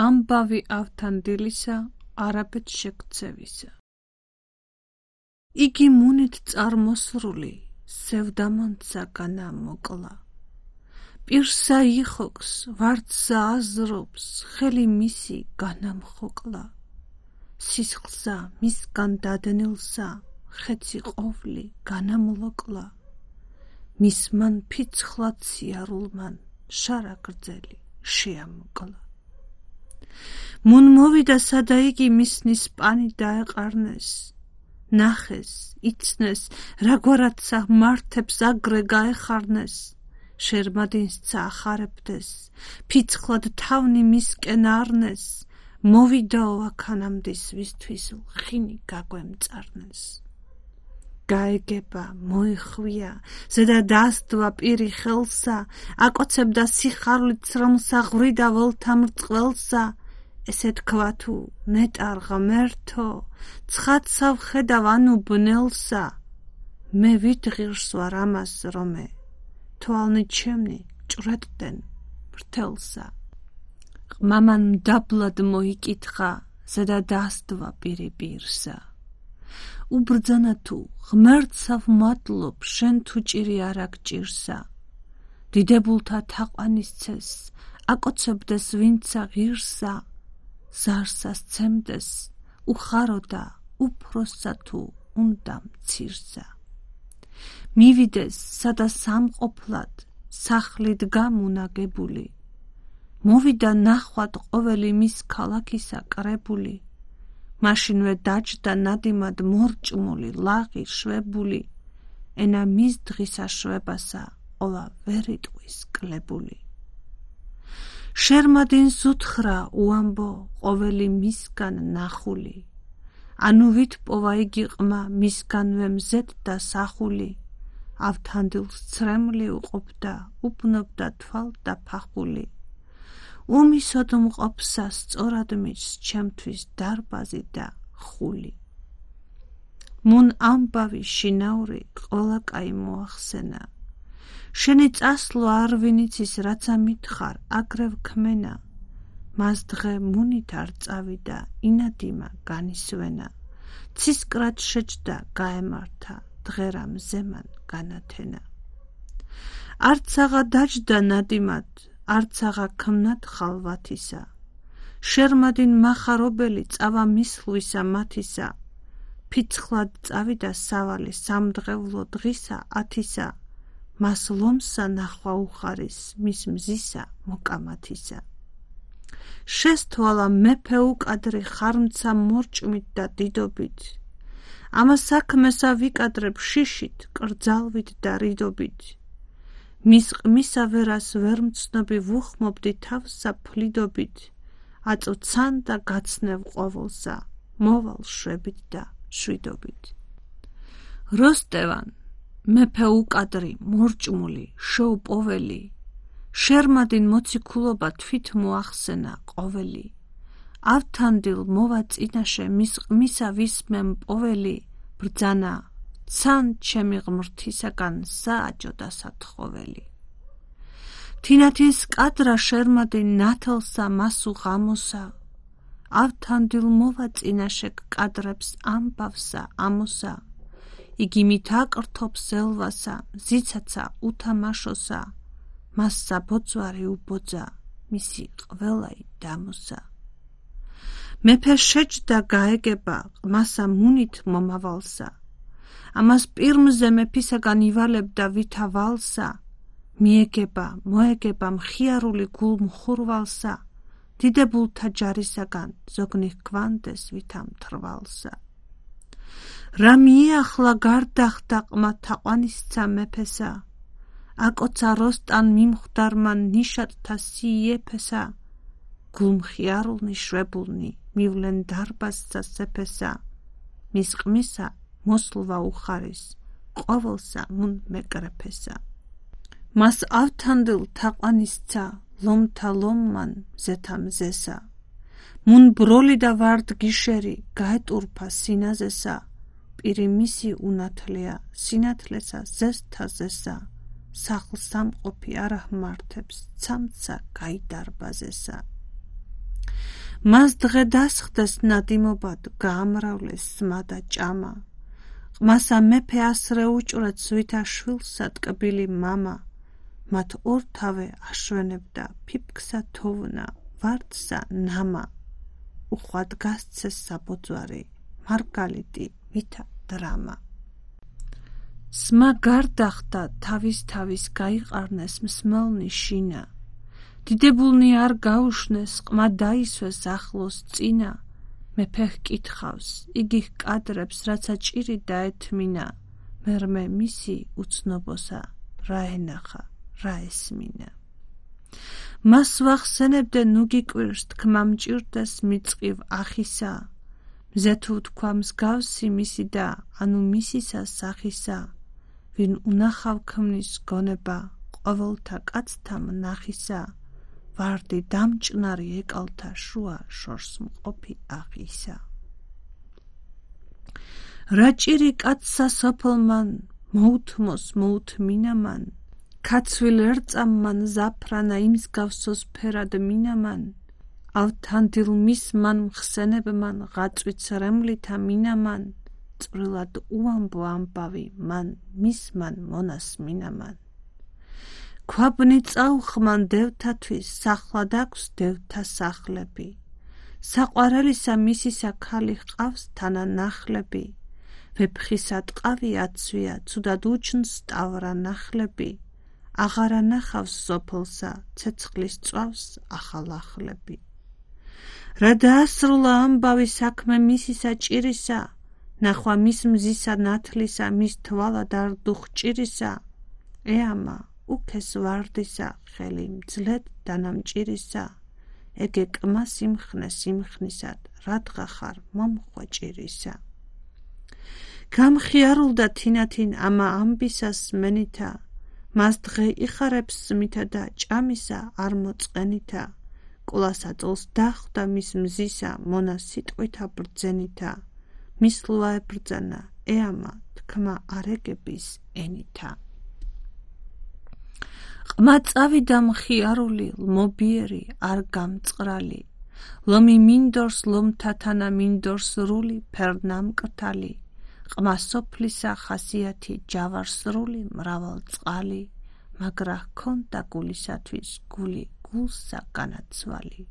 ამბავი ავთანდილისა არაბეთ შეგცევისა. იგი მუნით წარმოსრული სევდამონცა განა მოკლა. პირსა იხოქს ვარდსა აზრობს ხელი მისი განამხოკლა. სისხლსა მისგან დადნილსა ხეცი ყოვლი განამლოკლა. მისმან ფიცხლად სიარულმან შარა გრძელი შეამოკლა. მუნ მოვიდა სადა იგი მისნის პანი დაეყარნეს. ნახეს, იცნეს, რაგვარადსა მართებს აგრე გაეხარნეს. შერმადინსცა ახარებდეს, ფიცხლად თავნი მისკენ არნეს. მოვიდაო აქანამდის ვისთვის ლხინი გაგვემწარნეს. გაეგება, მოეხვია, ზედა დასდვა პირი ხელსა, აკოცებდა სიხარვლით ცრემლსა ღვრიდა ველთა მრწყველსა. ესე თქვა თუ ნეტარ ღმერთო, ცხადსა ვხედავ ანუ ბნელსა. მე ვით ღირს ვარ ამას რომე, თვალნი ჩემნი ჭვრეტდნენ მრთელსა. ყმამან მდაბლად მოიკითხა, ზედა დასდვა პირი პირსა. უბრძანა თუ ღმერთსა ვმადლობ, შენ თუ ჭირი არა გჭირსა. დიდებულთა თაყვანისცეს, აკოცებდეს ვინცა ღირსა. ზარსა სცემდეს, უხაროდა უფროსსა თუ უნდა მცირსა. მივიდეს სადა სამყოფლად, სახლით გამუნაგებული. მოვიდა ნახვად ყოველი მის ქალაქისა კრებული. მაშინვე დაჯდა ნადიმად მორჭმული, ლაღი შვებული. ენა მის დღისა შვებასა, ყოლა ვერ იტყვის კლებული. შერმადინს უთხრა უამბო ყოველი მისგან ნახული. ანუ ვით პოვა იგი ყმა მისგანვე მზედდა სახული. ავთანდილს ცრემლი უყოფდა, უბნობდა თვალ და ფახული. უმისოდ მყოფსა სწორად მიჩს ჩემთვის დარბაზი და ხული. მუნ ამბავი შინაური ყველა კაი მოახსენა. შენი წასვლა არ ვინიცის რაც ამითხარ აგრევ ქმენა. მას დღე მუნით არ წავიდა ინადიმა განისვენა. ცისკრად შეჯდა გაემართა დღერა მზემან განათენა. არცაღა დაჯდა ნადიმად, არცაღა ქმნად ხალვათისა. შერმადინ მახარობელი წავა მისლვისა მათისა. ფიცხლად წავიდა სავალი სამდღევლო დღისა ათისა. მას ლომსა ნახვა უხარის მის მზისა მოკამათისა. შესთვალა მეფე უკადრი ხარმცა მორჭმით და დიდობით. ამა საქმესა ვიკადრებ შიშით, კრძალვით და რიდობით. მის ყმისა ვერას ვერ მცნობი ვუხმობდი თავსა ფლიდობით. აწოცან და გაცნევ ყოველსა, მოვალ შვებით და შვიდობით. როსტევან მეფე უკადრი, მორჭმული, შოუპოველი. შერმადინ მოციქულობა თვით მოახსენა ყოველი. ავთანდილ მოვა წინაშე მის ყმისა ვისმემ პოველი. ბრძანა, ცან ჩემი ღმრთისაგან სააჯო და სათხოველი. თინათინს კადრა შერმადინ ნათელსა მასუ ღამოსა. ავთანდილ მოვა წინაშე კადრებს ამბავსა ამოსა. იგი მით აკრთობს ელვასა, მზიცაცა უთამაშოსა. მასსა ბოძვარი უბოძა, მისი ყველაი დამოსა. მეფე შეჯდა გაეგება, ყმასა მუნით მომავალსა. ამას პირმზე მეფისაგან ივალებდა ვითა ვალსა. მიეგება, მოეგება მხიარული გულ მხურვალსა. დიდებულთა ჯარისაგან ზოგნი ჰგვანდეს ვითა მთრვალსა. რა მიეახლა გარდახდა ყმა თაყვანისცა მეფესა. აკოცა როსტან მიმხვდარმან ნიშატთა სიეფესა. გულმხიარულნი შვებულნი მივლენ დარბაზსა სეფესა. მის ყმისა მოსლვა უხარის, ყოველსა მუნ მეკრეფესა. მას ავთანდილ თაყვანისცა, ლომთა ლომმან მზეთა მზესა. მუნ ბროლი და ვარდ გიშერი, გაეტურფა სინაზესა. პირი მისი უნათლია, სინათლესა ზესთა ზესა. სახლ სამყოფი არ აღმართებს, ცამცა გაიდარბაზესა. მას დღე დასხდეს ნადიმობად გაამრავლეს სმა და ჭამა. ყმასა მეფე ასრე უჭრեց ვითა შვილსა ტკბილი მამა. მათ ორთავე აშვენებდა ფიფქსა თოვნა ვარდსა ნამა. უხვად გასცეს საბოძვარი მარგალიტი ვითა დრამა. სმა გარდახდა თავის გაიყარნეს მსმელნი შინა. დიდებულნი არ გაუშნეს ყმა დაისვეს ახლოს წინა. მეფე ჰკითხავს იგი ჰკადრებს რაცა ჭირი დაეთმინა. მერმე მისი უცნობოსა რა ენახა რა ესმინა. მას ვახსენებდე ნუ გიკვირს თქმა მჭირდეს მიწყივ ახისა. მზე თუ თქვა მსგავსი მისი და ანუ მისისა სახისა. ვინ უნახავ ქმნის გონება ყოველთა კაცთა მნახისა. ვარდი დამჭნარი ეკალთა შუა შორს მყოფი აღისა. რა ჭირი კაცსა სოფლმან მოუთმოს მოუთმინამან. ქაცვილ ერწამმან ზაფრანა იმსგავსოს ფერად მინამან. ავთანდილ მისმან მხსენებმან ღაწვით რემლითა მინამან. წვრილად უამბო ამბავი მან მისმან მონას მინამან. ქვაბნი წაუხმან დევთათვის სახლად აქვს დევთა სახლები. საყვარელისა მისისა ქალი ჰყავს თანა ნახლები. ვეფხისა ტყავი აცვია ცუდად უჩნს ტავრა ნახლები. აღარა ნახავს სოფლსა ცეცხლის წვავს ახალახლები. რა დაასრულა ამბავი საქმე მისისა ჭირისა. ნახვა მის მზისა ნათლისა მის თვალად არ დუხჭირისა. ეამა უქეს ვარდისა ხელი მძლეთ დანამჭირისა. ეგე კმა სიმხნე სიმხნისად რადგა ხარ მომხვეჭირისა. გამხიარულდა თინათინ ამა ამბისას მენითა. მას დღე იხარებს სმითა და ჭამისა არ მოწყენითა. კვლასა წოლს დახვდა მის მზისა მონა სიტყვითა ბრძენითა. მის ლუა ებრძანა ეამა თქმა არეგების ენითა. ყმა წავიდა მხიარული ლმობიერი არ გამწყრალი. ლომი მინდორს ლომთათანა მინდორს რული ფერნამკრთალი. ყმა სოფლისა ხასიათი ჯავარსრული მრავალ წყალი. მაგრა ჰქონდა გულისათვის გული გულსა განაცვალი.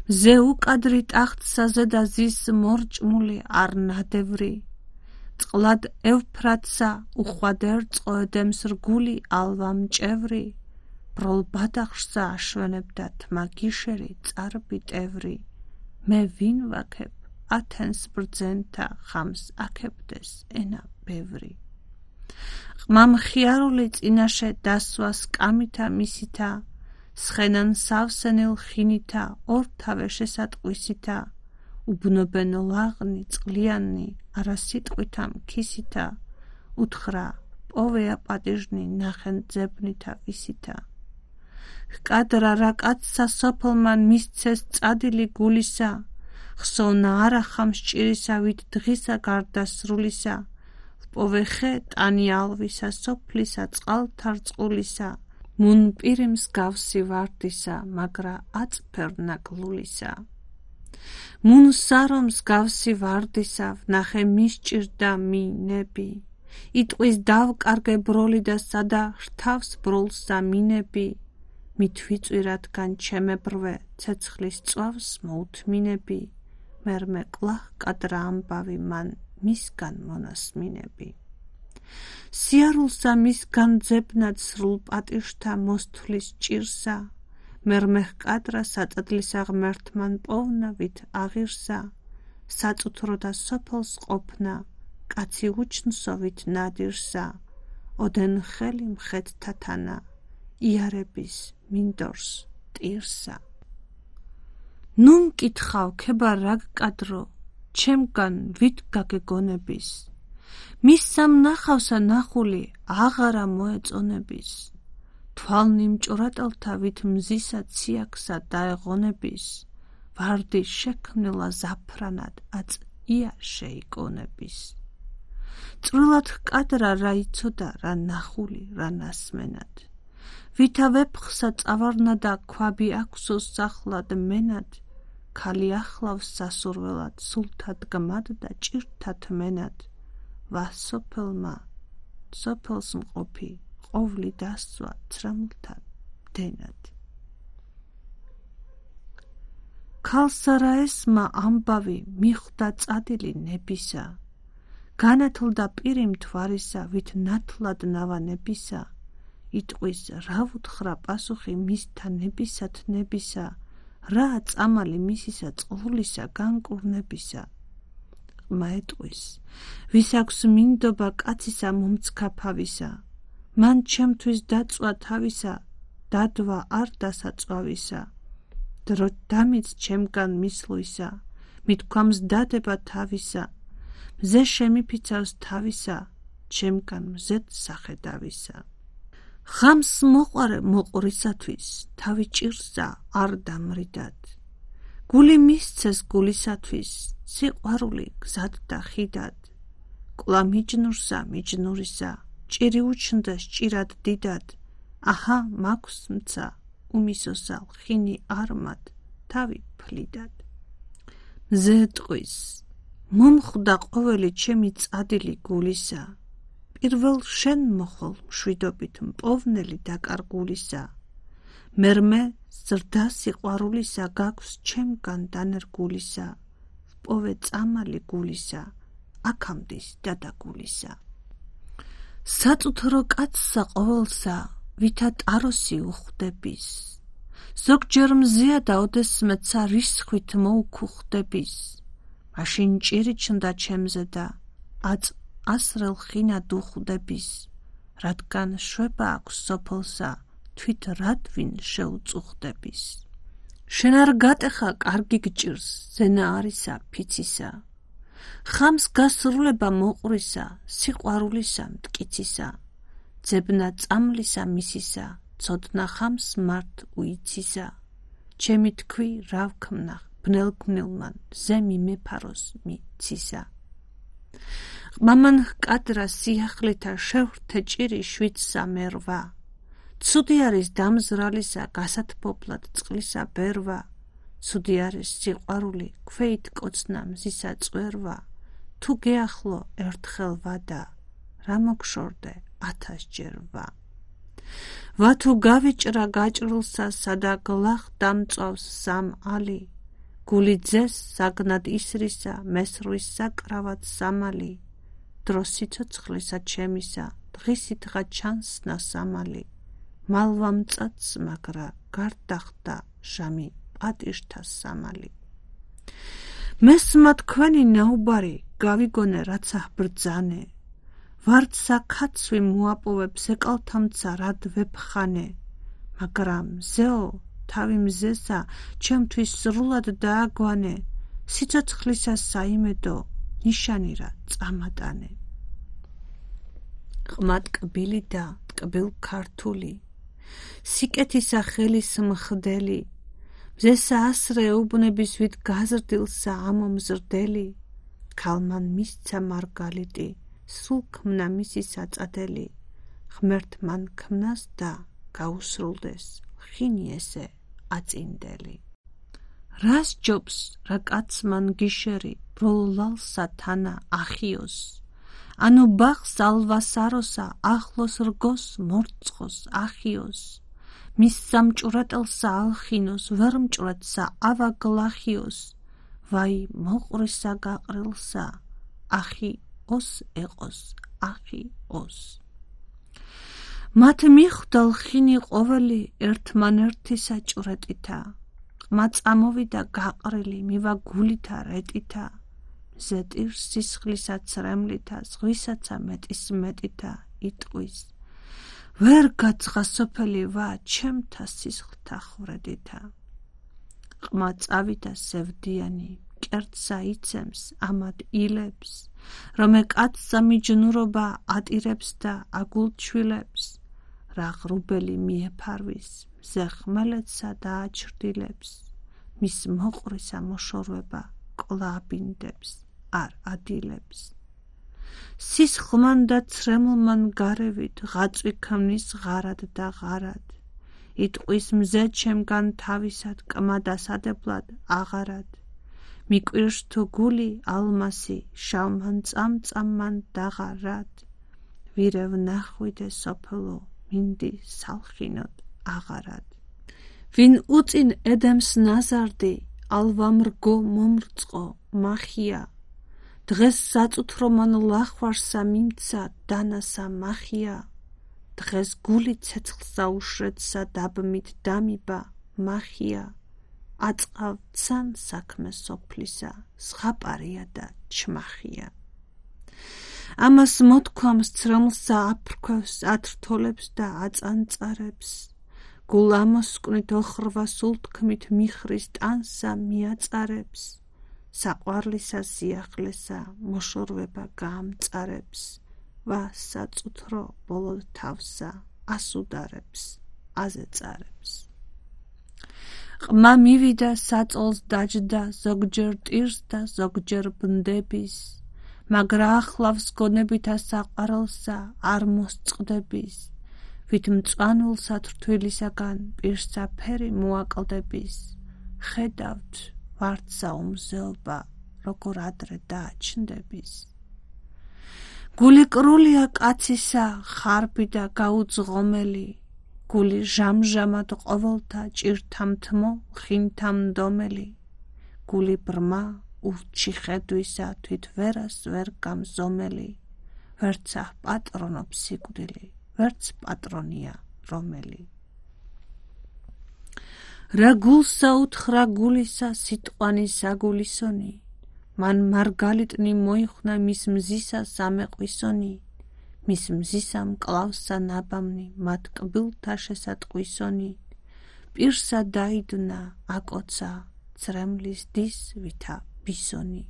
მზე უკადრი ტახტსა ზედა ზის მორჭმული არ ნადევრი. წყლად ევფრატსა უხვად ერწყო ედემს რგული ალვა მჭევრი. ბროლ ბადახშსა აშვენებდა თმა გიშერი წარბი ტევრი. მე ვინ ვაქებ ათენს ბრძენთა ხამს აქებდეს ენა ბევრი. ყმა მხიარული წინაშე დასვას კამითა მისითა. სხენან სავსენილ ხინითა ორთავე შესატყვისითა. უბნობენ ლაღნი წყლიანი არა სიტყვითა მქისითა. უთხრა პოვეა პატიჟნი ნახენ ძებნითა ვისითა. ჰკადრა რა კაცსა სოფლმან მისცეს წადილი გულისა. ხსოვნა არა ხამს ჭირისა ვით დღისა გარდასრულისა. პოვე ხე ტანი ალვისა სოფლისა წყალთა რწყულისა. მუნ პირი მსგავსი ვარდისა მაგრა აწფერნა გლულისა. მუნ სარო მსგავსი ვარდისა ვნახე მისჭირდა მინები. იტყვის დავკარგე ბროლი და სადა რთავს ბროლსა მინები. მით ვიწვირადგან ჩემებრვე ცეცხლის წვავს მოუთმინები. მერმე კლა კადრა ამბავი მან მისგან მონასმინები. სიარულსა მისგან ძებნად სრულ პატიჟთა მოსთვლის ჭირსა. მერმე ჰკადრა საწადლისა ღმერთმან პოვნა ვით აღირსა. საწუთრო და სოფელს ყოფნა კაცი უჩნსო ვით ნადირსა. ოდენ ხელი მხედთათანა იარების მინდორს ტირსა. ნუ მკითხავ ქება რა გკადრო ჩემგან ვით გაგეგონების. მის სამნახავსა ნახული აღარა მოეწონების. თვალნი მჭვრატელთა ვით მზისა ციაქსა დაეღონების. ვარდი შექმნილა ზაფრანად აწია შეიკონების. წვრილად ჰკადრა რა იცოდა რა ნახული რა ნასმენად. ვითა ვეფხსა წავარნა და ქვაბი აქვსო სახლად მენად. ქალი ახლავს სასურველად, სულთა დგმად და ჭირთა თმენად, ვასოფელმა სოფელს მყოფი ყოვლი დასწვა ცრემლთა დენად. ქალსარაესმა ამბავი მიხვდა წადილი ნებისა, განათლდა პირი მთვარისა, ვით ნათლად ნავანებისა, იტყვის რა ვუთხრა პასუხი მისთა ნებისა თნებისა, რა წამალი მისისა წყლულისა განკურნებისა. ყმა ეტყვის, ვის აქვს მინდობა კაცისა მომცქაფავისა, მან ჩემთვის დაწვა თავისა, დადვა არ დასაწვავისა, დრო დამიც ჩემგან მისლვისა, მithქვამს დადება თავისა, მზე შემიფიცავს თავისა, ჩემგან მზედ სახედავისა. ხამს მოყარე მოყვრისათვის, თავი ჭირსა არ დამრიდად, გული მისცეს გულისათვის, სიყვარული გზად და ხიდად, კლა მიჯნურსა მიჯნურისა, ჭირი უჩნდეს ჭირად დიდად, აჰა მაქვს მცა, უმისოსა ხინი არმად, თავი ფლიდად. მზე ეტყვის, მომხვდა ყოველი ჩემი წადილი გულისა, პირველ შენ მოხოლ მშვიდობით მპოვნელი დაკარგულისა, მერმე ზრდა სიყვარულისა გაქვს ჩემგან დანერგულისა, ვპოვე წამალი გულისა, აქამდის დადაგულისა. საწუთრო კაცსა ყოველსა, ვითა ტაროსი უხვდების, ზოგჯერ მზეა და ოდესმეცა რისხვით მოუქუხდების, მაშინ ჭირი ჩნდა ჩემზე და ასრელ ხინად უხვდების, რადგან შვება აქვს სოფელსა, თვით რადვინ შეუწუხდების. შენ არ გატეხა კარგი გჭირს, ზენა არისა ფიცისა, ხამს გასრულება მოყვრისა, სიყვარულისა მტკიცისა, ძებნა წამლისა მისისა, ცოდნა ხამს მართ უიცისა, ჩემი თქვი რა ვქმნა ბნელგვნილმან, ზემი მეფაროს მიცისა. ყმამან ჰკადრა სიახლეთა შევრთე ჭირი შვიდსა მერვა, ცუდი არის დამზრალისა გასათბობლად წყლისა ბერვა, ცუდი არის სიყვარული ქვეით კოცნა მზისა წვერვა, თუ გეახლო ერთხელ ვადა, რა მოგშორდე 1000-ჯერ ვა. ვა თუ გავიჭრა გაჭრილსა, სადა გლახ დამწვავს სამ ალი, გული ძეს საგნად ისრისა, მესრვის საკრავად სამალი, დრო სიცოცხლისა ჩემისა, დღისით დღა ჩანსნა სამალი, მალვა მწაც მაგრა გარდახდა ჟამი პატიშთა სამალი. მესმა თქვენი ნაუბარი, გავიგონე რაცა ბრძანე, ვართ საქაცვი მოაპოვებს ეკალთამცა რად ვეფხანე, მაგრამ მზეო თავი მზესა ჩემთვის სრულად დააგვანე, სიცოცხლისა საიმედო ნიშანი რა წამატანე. ყმა ტკბილი და ტკბილ ქართული, სიკეთისა ხელის მხდელი, მზესა ასრე უბნების ვით გაზრდილსა ამომზრდელი, ქალმან მისცა მარგალიტი, სულ ქმნა მისისა წადელი, ღმერთ მან ქმნას და გაუსრულდეს, ხინი ესე აწინდელი. რას ჯობს რა კაცმან გიშერი, ბროლალსა თანა ახიოს, ანუ ბაღს ალვასაროსა, ახლოს რგოს მორწყოს ახიოს, მის სამჭურატელსა ალხინოს, ვერ მჭვრეთსა ავაგლახიოს, ვაი მოყვრისა გაყრილსა, ახი ოს ეყოს, ახი ოს. მათ მიხვდა ლხინი ყოველი ერთმანერთისა ჭვრეტითა, ყმა წამოვიდა გაყრილი მივა გულითა რეტითა, მზე ტირს სისხლისა ცრემლითა, ზღვისაცა მეტის მეტითა, იტყვის, ვერ გაცხა სოფელი ვა ჩემთა სისხლთა ხვრედითა. ყმა წავიდა სევდიანი, მკერდსა იცემს ამად ილებს, რომე კაცსა მიჯნურობა ატირებს და აგულჩვილებს, რა ღრუბელი მიეფარვის, მზე ხმელეთსა დააჩრდილებს, მის მოყვრისა მოშორება კლა აბინდებს, არ ადილებს. სისხლმან და ცრემლმან გარევით ღაწვი ქმნის ღარად და ღარად, იტყვის მზე ჩემგან თავისად კმა დასადებლად აღარად მიკვირს თუ გული ალმასი შავმან წამწამმან დაღარად ვირევ ნახვიდე სოფელო მინდი სალხინოდ აღარად ვინ უწინ ედემს ნაზარდი ალვამრგო მომრწყო მახია დღეს საწუთრომან ლახვარსა მიმცა დანასა მახია დღეს გული ცეცხლსა უშრედსა დაბმით დამიბა მახია აწყავცან საქმე სოფლისა ზღაპარია და ჩმახია ამას მოთქვამს ცრემლსა აფრქვევს ათრთოლებს და აწანწარებს გულ ამოსკვნით ოხრვა სულთქმით მიხრის ტანსა მიაწარებს საყვარლისა სიახლესა მოშორვება გაამწარებს ვა საწუთრო ბოლოდ თავსა ასუდარებს აზეწარებს ყმა მივიდა საწოლს დაჯდა ზოგჯერ ტირს და ზოგჯერ ბნდების მაგრა ახლავს გონებითა საყვარელსა არ მოსწყდების ვით მწვანულსა თრთვილისაგან პირსა ფერი მოაკლდების ხედავთ ვარდსა უმზეობა როგორ ადრე დააჩნდების გული კრულია კაცისა ხარბი და გაუძღომელი გული ჟამჟამად ყოველთა ჭირთამთმო ხინთა მდომელი გული ბრმა ურჩი ხედვისა თვით ვერას ვერ გამზომელი ვერცა პატრონობს სიკვდილი ვერც პატრონია რომელი რა გულსა უთხრა გულისა სიტყვანი საგულისონი მან მარგალიტნი მოიხსნა მის მზისა სამეყვისონი მის მზისა მკლავსა ნაბამნი მათ კბილთა შესატყვისონი პირსა დაიდნა აკოცა ცრემლის დის ვითა ბისონი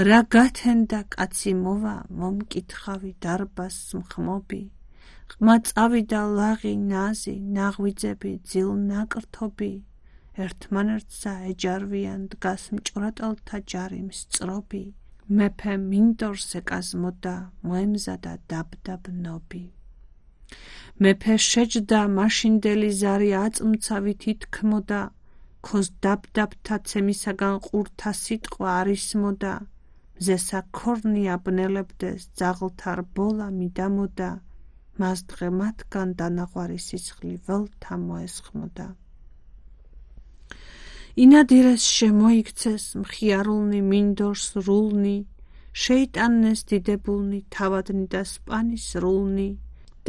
რა გათენდა კაცი მოვა მომკითხავი დარბას მხმობი ყმა წავიდა ლაღი ნაზი ნაღვიძები ძილ ნაკრთობი ერთმანერთსა ეჯარვიან დგას მჭვრეტელთა ჯარი მსწრობი მეფე მინდორს ეკაზმოდა მოემზადა დაბდაბნობი მეფე შეჯდა მაშინდელი ზარი აწმცავით ითქმოდა ქოს დაბდაბთა ცემისაგან ყურთა სიტყვა არისმოდა მზესა ქორნი აბნელებდეს ძაღლთა რბოლა მიდამოდა მას დღე მათგან დანაღვარი სისხლი ველთა მოესხმოდა ინადირეს შემოიქცეს მხიარულნი მინდორს რულნი შეიტანეს დიდებულნი თავადნი და სპანის რულნი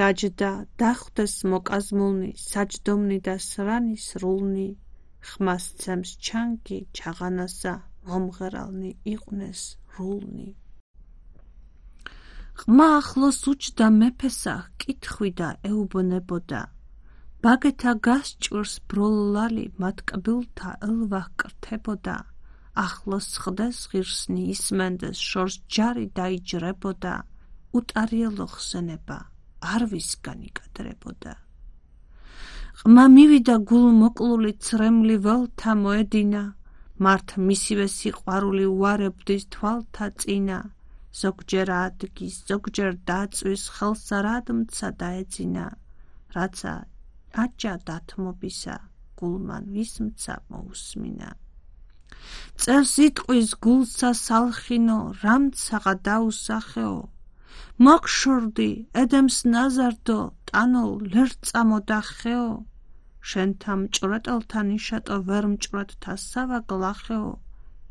დაჯდა დახვდეს მოკაზმულნი საჯდომნი და სრანის რულნი ხმას ცემს ჩანგი ჩაღანასა მომღერალნი იყვნენ რულნი ყმა ახლოს უჯდა მეფესა კითხვი და ეუბნებოდა ბაგეთა გასჭირს ბროლლალი მათ კბილთა ელვახ კრთებოდა ახლოს ხდეს ღირსნი ისმენდეს შორს ჯარი დაიჯრებოდა უტარიელო ხსენება არ ვისგან იკადრებოდა ყმა მივიდა გულ მოკლული ცრემლი ველთა მოედინა მართ მისივე სიყვარული უარებდის თვალთა წინა ზოგჯერ ადგის ზოგჯერ დაწვის ხელსა რადმცა დაეძინა რაცა აჯა დათმობისა გულმან ვისმცა მოусმინა წერს იტყვის გულსა სალხინო რამცაღა დაუსახეო მოგშორდი ედემს ნაზარდო ტანოლ ლერწამოდა ხეო შენთა მჭვრეტელთა ნიშატო ვერ მჭვრეტთა სავაგლახეო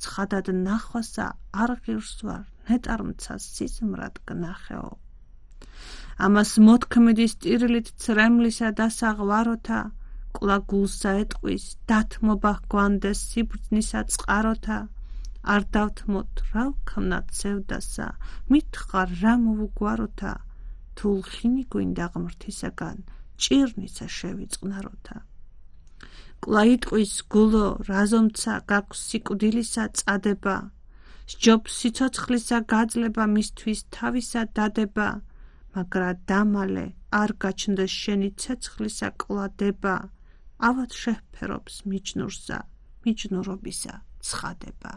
ცხადად ნახვასა არ ღირს ვარ ნეტარმცა სიზმრად გნახეო ამას მოთქმედის ტირილით ცრემლისა დასაღვაროთა კლა გულსა ეტყვის დათმობა გვანდეს სიბრძნისა წყაროთა არ დავთმოთ რა ვქვნათ სევდასა მითხარ რა მოვუგვაროთა თულხინი გვინდა ღმრთისაგან ჭირნიცა შევიწყნაროთა კლა იტყვის გულო რაზომცა გაქვს სიკვდილისა წადება სჯობს სიცოცხლისა გაძლება მისთვის თავისა დადება მაგრა დამალე არ გაჩნდეს შენი ცეცხლისა კლადება ავად შეფერობს მიჯნურსა მიჯნურობისა ცხადება